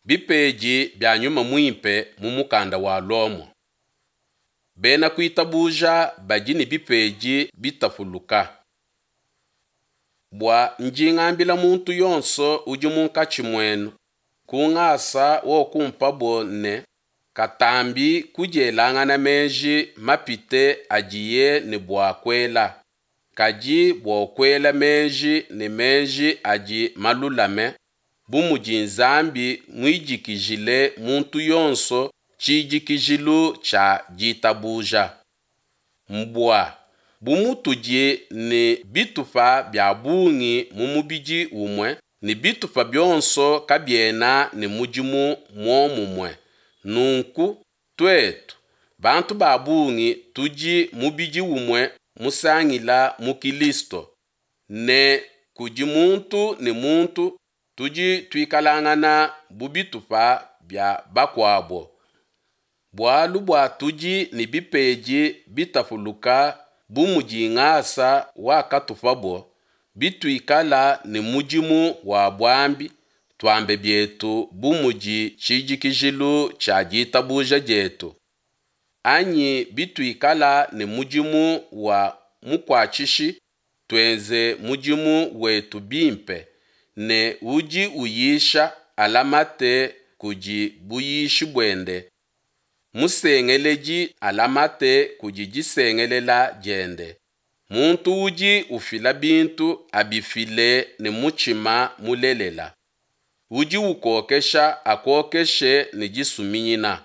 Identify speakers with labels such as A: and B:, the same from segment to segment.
A: Bipedi bia Nyuma Muimpe mu mukanda wa Lomo. Bena kuitabuja badi ne bipedi bitapuluka. Bua ndi ngambila muntu yonso udi munkatshi muenu, ku ngasa wokumpabo ne, Katambi kudielangana meji mapite adiye ne bua kuela, kadi bua kuela meji ne meji adi malulame, bu mudi Nzambi muidikijile muntu yonso tshidikijilu tshia ditabuja. Mbua, bu mutudi ne bitupa bia bungi mu mubidi umue, ne bitupa bionso kabiena ne mudimu muomumue, nunku tuetu, bantu ba bungi tudi mubidi umue musangila mu Kilisto, ne kudi muntu ne muntu tudi tuikalangana bu bitupa bia bakuabo. Bualu bua tudi ne bipedi bitapuluka bu mudi ngasa wakatupabo, bituikala ne mudimu wa buambi, tuambe bietu bu mudi tshidikijilu tshia ditabuja dietu, anyi bituikala ne mudimu wa mukuatshishi, tuenze mudimu wetu bimpe, ne udi uyisha alamate kudi buyishi buende, musengeledi alamate kudi disengelela diende, muntu udi ufila bintu abifile ne mutshima mulelela, udi ukokesha akokeshe ne disuminyina,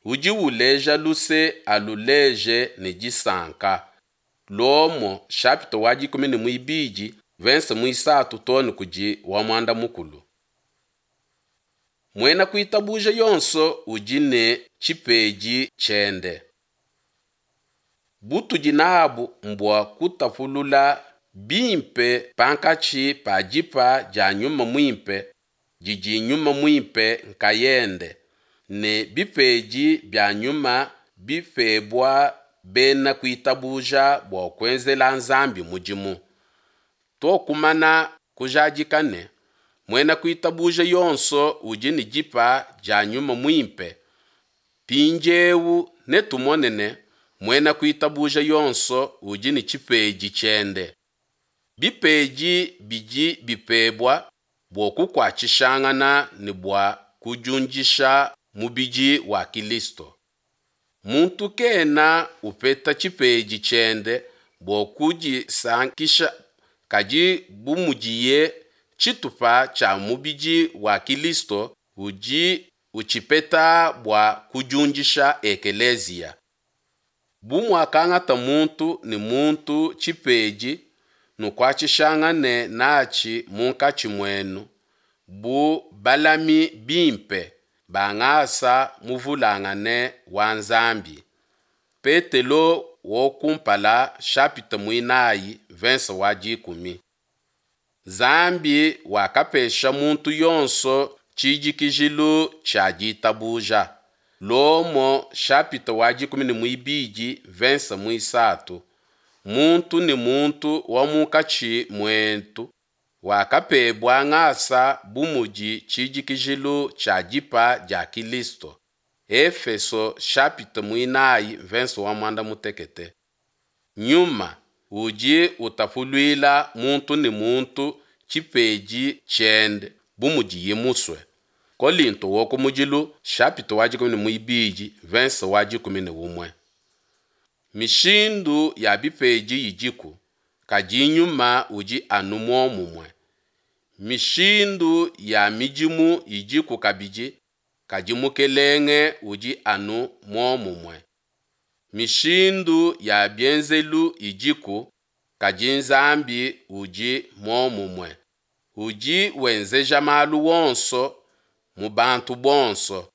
A: udi uleja luse aluleje ne disanka. Lomo chapitre wa dikumi ne muibidi verse muisatu too ne kudi wa muanda mukulu. Muena kuitabuja yonso udi ne tshipedi tshiende. Butudi nabu mbua kutapulula bimpe pankatshi pa dipa dia Nyuma Muimpe didi Nyuma Muimpe nkayende ne bipedi bia Nyuma bipebua bena kuitabuja bua kuenzela Nzambi mudimu. Tuokumana kujadika ne, muena kuitabuja yonso udi ne dipa dia Nyuma Muimpe, mpindieu netumone ne, muena kuitabuja yonso udi ne tshipedi tshiende. Bipedi bidi bipebua bua kukuatshishangana ne bua kudiundisha mubidi wa Kilisto. Muntu kena upeta tshipedi tshiende bua kudisankisha, kadi bu mudiye tshitupa tshia mubidi wa Kilisto, udi utshipeta bua kudiundisha ekeleziya. Bu muakangata muntu ne muntu tshipedi, nukuatshishangane natshi munkatshi muenu, bu balami bimpe ba ngasa muvulangane wa Nzambi. Petelo wa kumpala chapitre muinayi verse wa dikumi. Nzambi wakapesha muntu yonso tshidikijilu tshia ditabuja. Lomo chapitre wa dikumi ne muibidi verse muisatu. Muntu ne muntu wa munkatshi muetu wakapebua ngasa bu mudi tshidikijilu tshia dipa dia Kilisto. Efeso chapitre muinayi verse wa muanda mutekete. Nyuma udi utapuluila muntu ne muntu tshipedi tshiende bu mudiye musue. Kolinto wa kumudilu chapitre wa dikumi ne muibidi verse wa dikumi ne umue. Mishindu ya bipedi idiku, kadi nyuma udi anu muomumue. Mishindu ya midimu idiku kabidi, kadi Mukelenge udi anu muomumue. Mishindu ya bienzelu idiku, kadi Nzambi udi muomumue. Udi wenzeja malu wonso mu bantu bonso.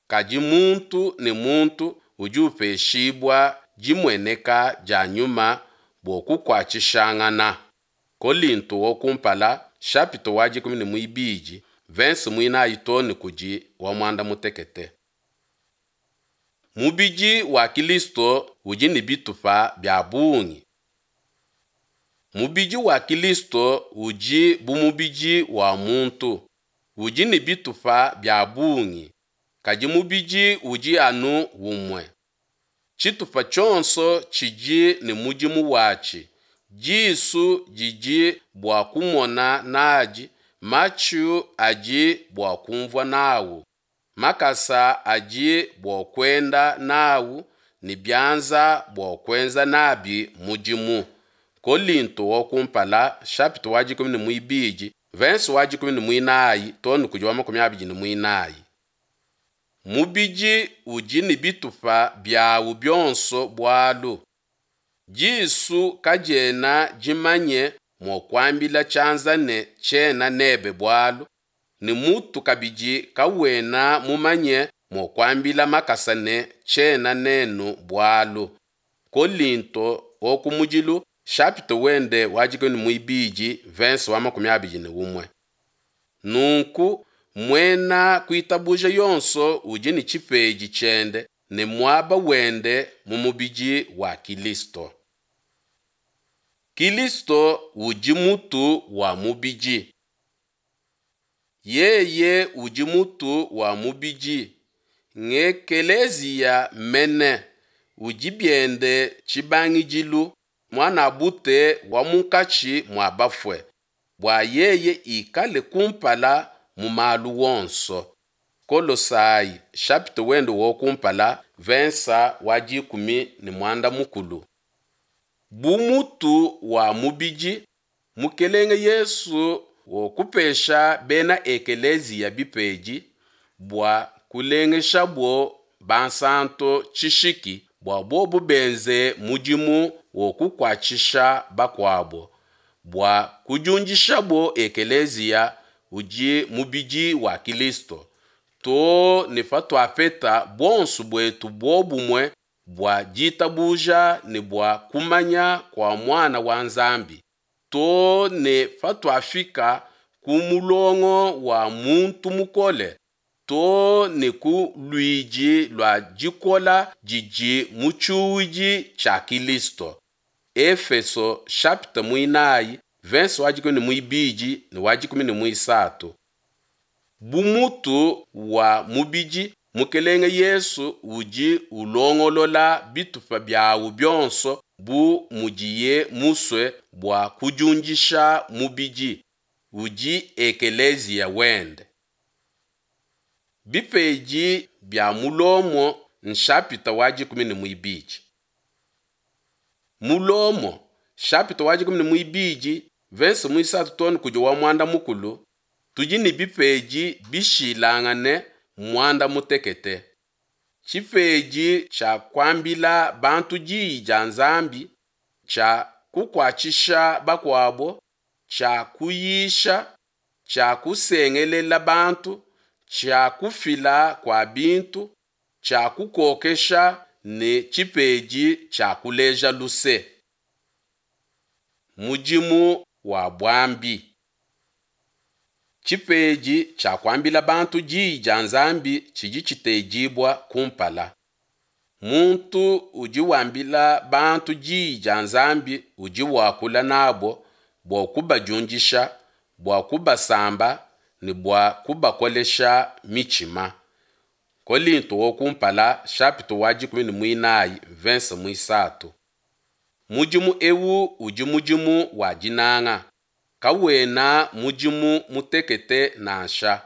A: Kadi muntu ne muntu udi upeshibua dimueneka dia nyuma bua kukuatshishangana. Kolinto wa kumpala chapitre wa dikumi ne muibidi verse muinayi too ne kudi wa muanda mutekete. Mubidi wa Kilisto udi ne bitupa bia bungi. Mubidi wa Kilisto udi bu mubidi wa muntu. udi ne bitupa bia bungi, kadi mubidi udi anu umue. Tshitupa tshionso tshidi ne mudimu watshi, disu didi bua kumona nadi, matshu adi bua kumvua nawu, makasa adi bua kuenda nawu, ne bianza bua kuenza nabi mudimu. Kolinto wa kumpala, chapitre wa 12, verse wa 14 too ne kudi wa 24. Mubidi udi ne bitupa biawu bionso bualu. Disu kadiena dimanye mua kuambila tshianza ne tshiena nebe bualu, ne mutu kabidi kawena mumanye mua kuambila makasa ne tshiena nenu bualu. Kolinto wa kumudilu, chapitre wende wa 12, verse wa 21. Nunku muena kuitabuja yonso udi ne tshipedi tshiende ne muaba wende mu mubidi wa Kilisto. Kilisto udi mutu wa mubidi. Yeye udi mutu wa mubidi, ngekeleziya mene, udi biende tshibangidilu, muanabute wa munkatshi mua bafue, bua yeye ikale kumpala mu malu wonso. Kolosai chapitre wende wa kumpala, verse wa 16. Bu mutu wa mubidi, Mukelenge Yesu wakupesha bena ekeleziya bipedi bua kulengeshabo bansanto tshishiki bua bobo benze mudimu wa kukuatshisha bakuabo, bua kudiundishabo ekeleziya udi mubidi wa Kilisto, too ne patuapeta buonso buetu buobumue bua ditabuja ne bua kumanya kua Muana wa Nzambi, too ne patuafika ku mulongo wa muntu mukole, too ne ku luidi lua dikola didi mu tshiuwidi tshia Kilisto. Efeso chapitre 4, verse wa 12 ne wa 13. Bu mutu wa mubidi, Mukelenge Yesu udi ulongolola bitupa biawu bionso bu mudiye musue bua kudiundisha mubidi, udi ekeleziya wende. Bipedi bia mu Lomo nshapita wa 12. Mu Lomo chapitre wa 12 verse muisatu too ne kudi wa muanda mukulu, tudi ne bipedi bishilangane muanda mutekete. Tshipedi tshia kuambila bantu diyi dia Nzambi, tshia kukuatshisha bakuabo, tshia kuyisha, tshia kusengelela bantu, tshia kufila kua bintu, tshia kukokesha ne tshipedi tshia kuleja luse. Mudimu wa buambi. Tshipedi tshia kuambila bantu diyi dia Nzambi tshidi tshitedibua kumpala. Muntu udi wambila bantu diyi dia Nzambi udi wakula nabo bua kubadiundisha, bua kubasamba ne bua kubakolesha mitshima. Kolinto wa kumpala chapitre wa 14 verse muisatu. Mudimu eu udi mudimu wa dinanga, kawena mudimu mutekete nansha.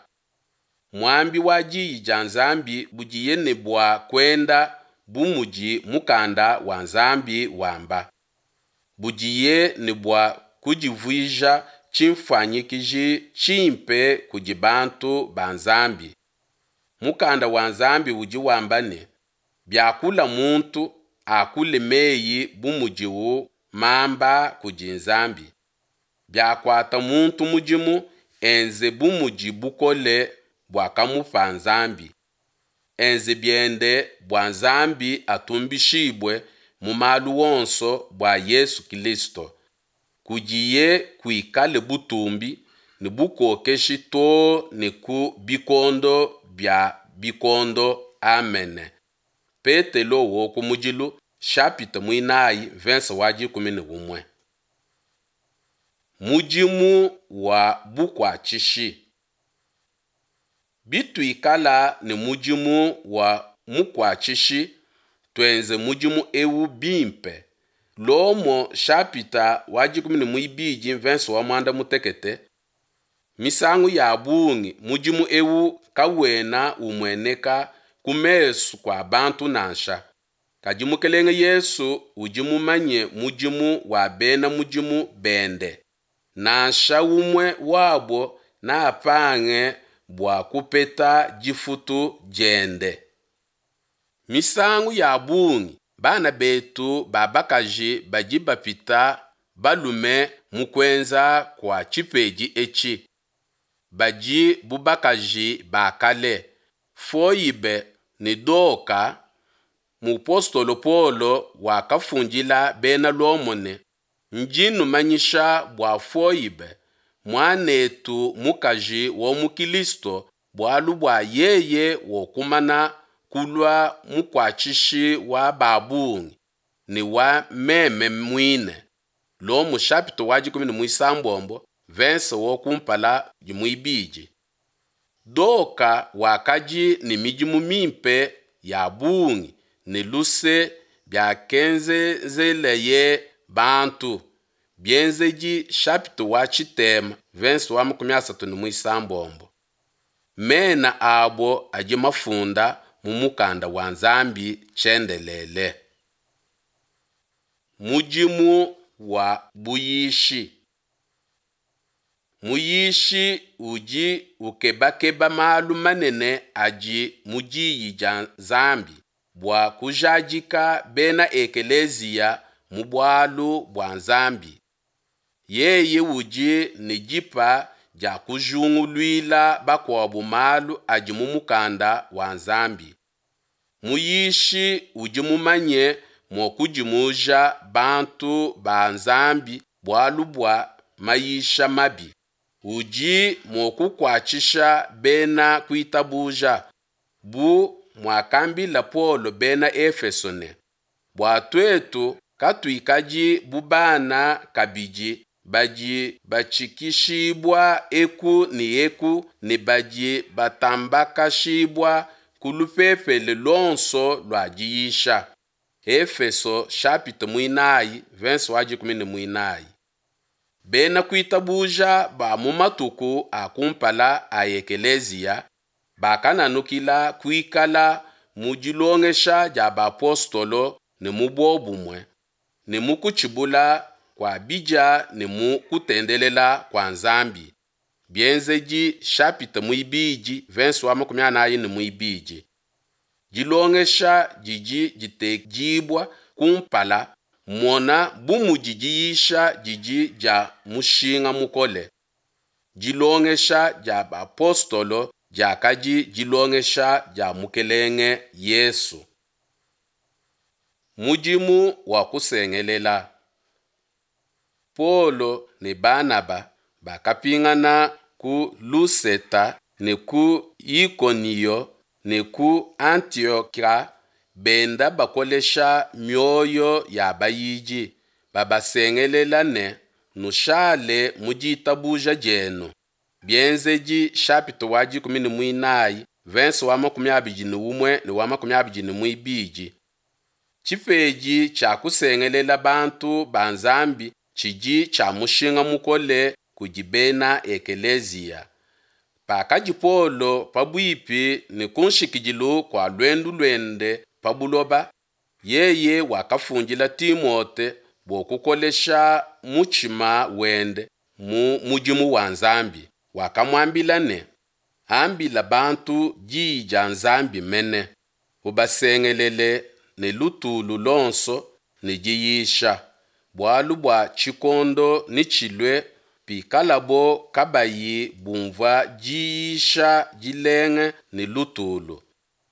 A: Muambi wa diyi dia Nzambi budiye ne bua kuenda bu mudi mukanda wa Nzambi wamba. Budiye ne bua kudivuija tshinfuanyikiji tshimpe kudi bantu ba Nzambi. Mukanda wa Nzambi udi wamba ne, biakula muntu, akule meyi bu mudiwu mamba kudi Nzambi. Biakuata muntu mudimu, enze bu mudi bukole buakamupa Nzambi. Enze biende bua Nzambi atumbishibue mu malu wonso bua Yesu Kilisto. Kudiye kuikale butumbi ne bukokeshi too ne ku bikondo bia bikondo. Amene. Petelo wo kumudilu chapitre mwinayi verse wa 11. Mudimu wa bukuatshishi. Bituikala ne mudimu wa mukuatshishi, tuenze mudimu eu bimpe. Lomo shapita wa 12 verse wa muanda mutekete. Misangu ya bungi mudimu eu kawena umueneka ku mesu kua bantu nansha. Kadi Mukelenge Yesu udi mumanye mudimu wa bena mudimu bende. Nansha umue wabo napange bua kupeta difutu diende. Misangu ya bungi bana betu ba bakaji badi bapita balume mu kuenza kua tshipedi etshi. Badi bu bakaji ba kale, Foibe ne Doka. Mupostolo Paulo wakafundila Bena Lomo ne, Ndi numanyisha bua Foibe, muanetu mukaji wa mu Kilisto, bualu bua yeye wakumana kulua mukuatshishi wa ba bungi, ne wa meme muine. Lomo chapitre wa 17 verse wa kumpala ne muibidi. Doka wakadi ne midimu mimpe ya bungi ne luse biakenzezeleye bantu. Bienzedi chapitre wa tshitema verse wa 36. Mena abo adi mafunda mu mukanda wa Nzambi tshiendelele. Mudimu wa buyishi. Muyishi udi ukebakeba malu manene adi mu Diyi dia Nzambi bua kujadika bena ekeleziya mu bualu bua Nzambi. Yeye udi ne dipa dia kujinguluila bakuabo malu adi mu Mukanda wa Nzambi. Muyishi udi mumanye mua kudimuja bantu ba Nzambi bualu bua mayisha mabi. Udi mua kukuatshisha bena kuitabuja, bu muakambila Paulo Bena Efeso ne, Bua tuetu katuikadi bu bana kabidi badi batshikishibua eku ne eku ne badi batambakashibua ku lupepele luonso lua diyisha. Efeso chapitre muinayi verse wa 14. Bena kuitabuja ba mu matuku a kumpala a ekeleziya bakananukila kuikala mu dilongesha dia bapostolo ne mu buobumue, ne mu kutshibula kua bidia ne mu kutendelela kua Nzambi. Bienzedi chapitre muibidi verse wa 42. Dilongesha didi ditekibua kumpala, mona bu mudi diyisha didi dia mushinga mukole. Dilongesha dia bapostolo diakadi dilongesha dia Mukelenge Yesu. Mudimu wa kusengelela. Paulo ne Banaba bakapingana ku Luseta ne ku Ikoniyo ne ku Antiokia benda bakolesha mioyo ya bayidi, babasengelela ne, Nushale mu ditabuja dienu. Bienzedi chapitre wa 14 verse wa 21 ne wa 22. Tshipedi tshia kusengelela bantu ba Nzambi tshidi tshia mushinga mukole kudi bena ekeleziya. Pakadi Paulo pabuipi ne kunshikidilu kua luendu luende pa buloba, yeye wakafundila Timote bua kukolesha mutshima wende mu mudimu wa Nzambi. Wakamuambila ne, Ambila bantu diyi dia Nzambi mene, ubasengelele ne lutulu luonso ne diyisha. Bualu bua tshikondo netshilue pikalabo kabayi bumvua diyisha dilenga ne lutulu,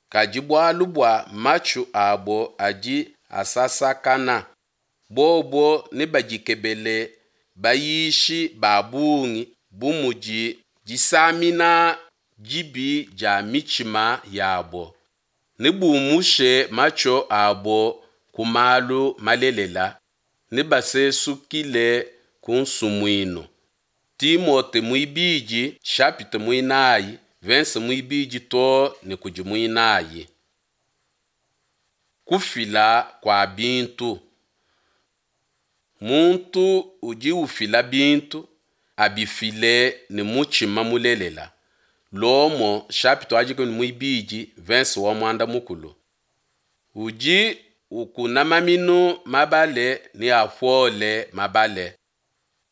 A: kadi bualu bua matshu abo adi asasakana, bobo nebadikebele bayishi ba bungi bu mudi disamina dibi dia mitshima yabo. Nebumushe matshu abo ku malu malelela, nebasesukile ku nsumuinu. Timote muibidi chapitre muinayi Mvense muibidi too ne kudi muinayi. Kufila kua bintu. Muntu udi ufila bintu, abifile ne mutshima mulelela. Lomo chapitre wa dikumi ne muibidi mvense wa muanda mukulu. Udi ukuna maminu mabale neapuole mabale,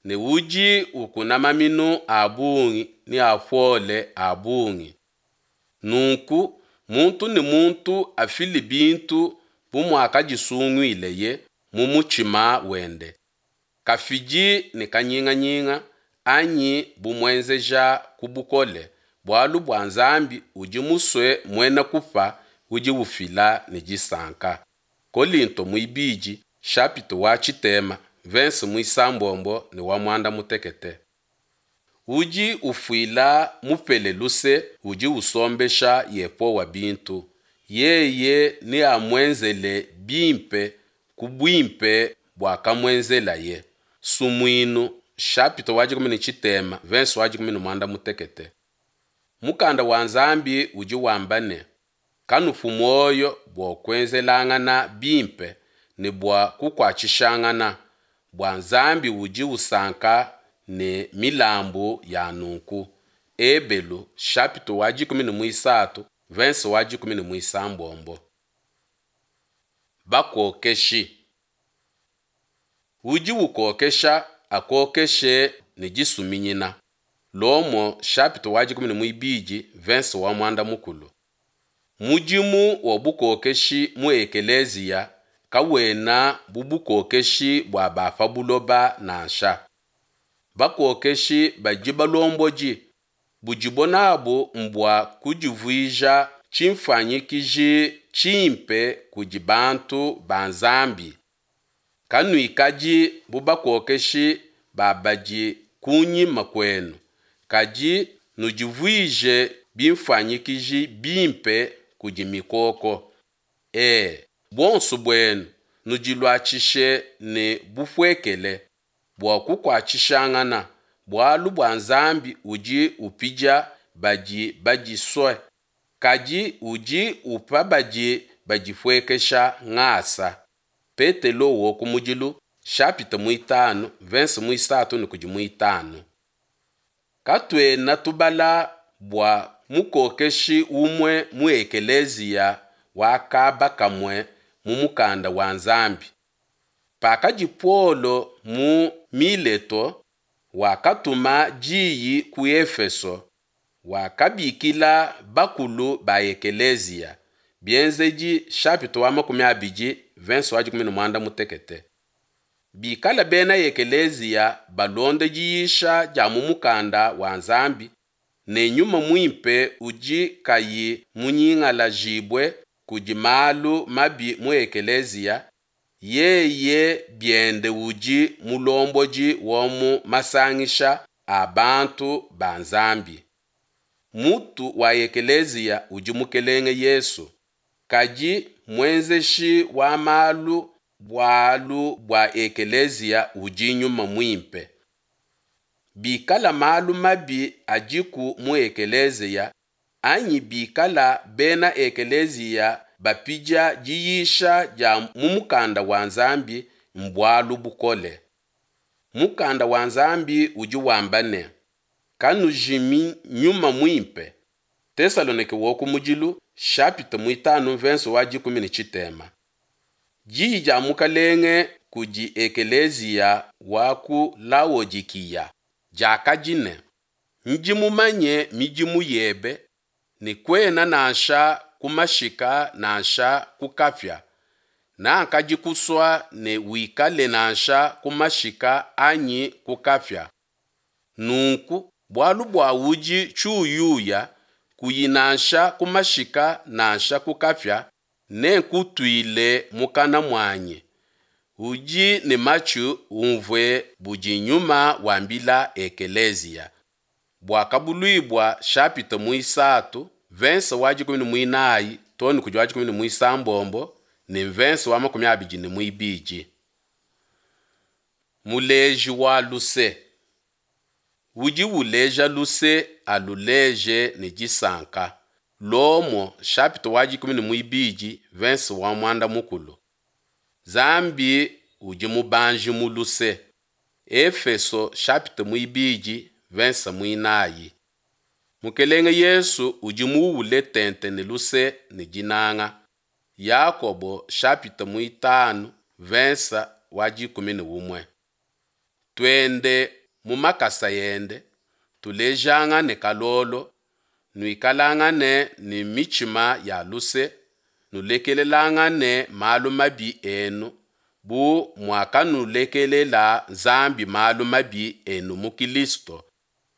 A: ne udi ukuna maminu a bungi neapuole a bungi. Nunku muntu ne muntu afile bintu bu muakadisunguileye mu mutshima wende, kafidi ne kanyinganyinga, anyi bu muenzeja ku bukole, bualu bua Nzambi udi musue muena kupa udi ufila ne disanka. Kolinto muibidi chapitre wa tshitema mvense muisambombo ne wa muanda mutekete. Udi ufuila mupele luse udi usombesha Yehowa bintu, yeye neamuenzele bimpe ku buimpe buakamuenzelaye. Sumuinu chapitre wa dikumi ne tshitema mvense wa dikumi ne muanda mutekete. Mukanda wa Nzambi udi wamba ne, kanupu muoyo bua kuenzelangana bimpe ne bua kukuatshishangana, bua Nzambi udi usanka ne milambu ya nunku. Ebelu chapitre wa dikumi ne muisatu mvense wa dikumi ne muisambombo. Bakokeshi. Udi ukokesha akokeshe ne disuminyina. Lomo chapitre wa dikumi ne muibidi mvense wa muanda mukulu. Mudimu wa bukokeshi mu ekeleziya kawena bu bukokeshi bua ba pa buloba nansha. Bakokeshi badi balombodi budibo nabu mbua kudivuija tshimfuanyikiji tshimpe kudi bantu ba Nzambi. Kanuikadi bu bakokeshi ba badi kunyima kuenu, kadi nudivuije bimfuanyikiji bimpe kudi mikoko. E, buonso buenu nudiluatshishe ne bupuekele bua kukuatshishangana, bualu bua Nzambi udi upidia badi badisue, kadi udi upa badi badipuekesha ngasa. Petelo wa kumudilu chapitre muitanu mvense muisatu ne kudi muitanu. Katuena tubala bua mukokeshi umue mu ekeleziya wa kaba kamue mu mukanda wa Nzambi. Pakadi Paulo mu Mileto, wakatuma diyi ku Efeso, wakabikila bakulu ba ekeleziya. Bienzedi chapitre wa 20 verse wa 16. Bikala bena ekeleziya balonde diyisha dia mu mukanda wa Nzambi ne nyuma muimpe udi kayi munyingalajibue kudi malu mabi mu ekeleziya, yeye biende udi mulombodi wa mu masangisha a bantu ba Nzambi. Mutu wa ekeleziya udi Mukelenge Yesu, kadi muenzeshi wa malu bualu bua ekeleziya udi Nyuma Muimpe. Bikala malu mabi adiku mu ekeleziya, anyi bikala bena ekeleziya bapidia diyisha dia mu mukanda wa Nzambi mbualu bukole. Mukanda wa Nzambi udi wamba ne, kanujimi Nyuma Muimpe. Tesalonike wa kumudilu chapitre muitanu verse wa 13. Diyi dia Mukalenge kudi ekeleziya wa ku Laodikiya diakadi ne, Ndi mumanye midimu yebe, ne kuena nansha ku mashika nansha ku kapia. Nakadi kusua ne wikale nansha ku mashika anyi ku kapia. Nunku, bualu bua udi tshiuyuya, kuyi nansha ku mashika nansha ku kapia, nenkutuile mukana muanyi. Udi ne matshi umvue budi Nyuma wambila ekeleziya. Buakabuluibua chapitre muisatu verse wa 14 too ne kudi wa 16 ne verse wa 22. Muleji wa luse. Udi uleja luse aluleje ne disanka. Lomo chapitre wa 12 verse wa muanda mukulu. Nzambi udi mubanji mu luse. Efeso chapitre muibidi verse muinayi. Mukelenge Yesu udi muule tente ne luse ne dinanga. Yakobo chapitre muitanu verse wa 11. Tuende mu makasa ende, tulejangane kalolo, nuikalangane ne mitshima ya luse, nulekelelangane malu mabi enu, bu muakanulekelela Nzambi malu mabi enu mu Kilisto.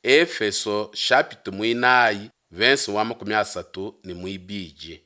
A: Efeso chapitre muinayi verse wa 32.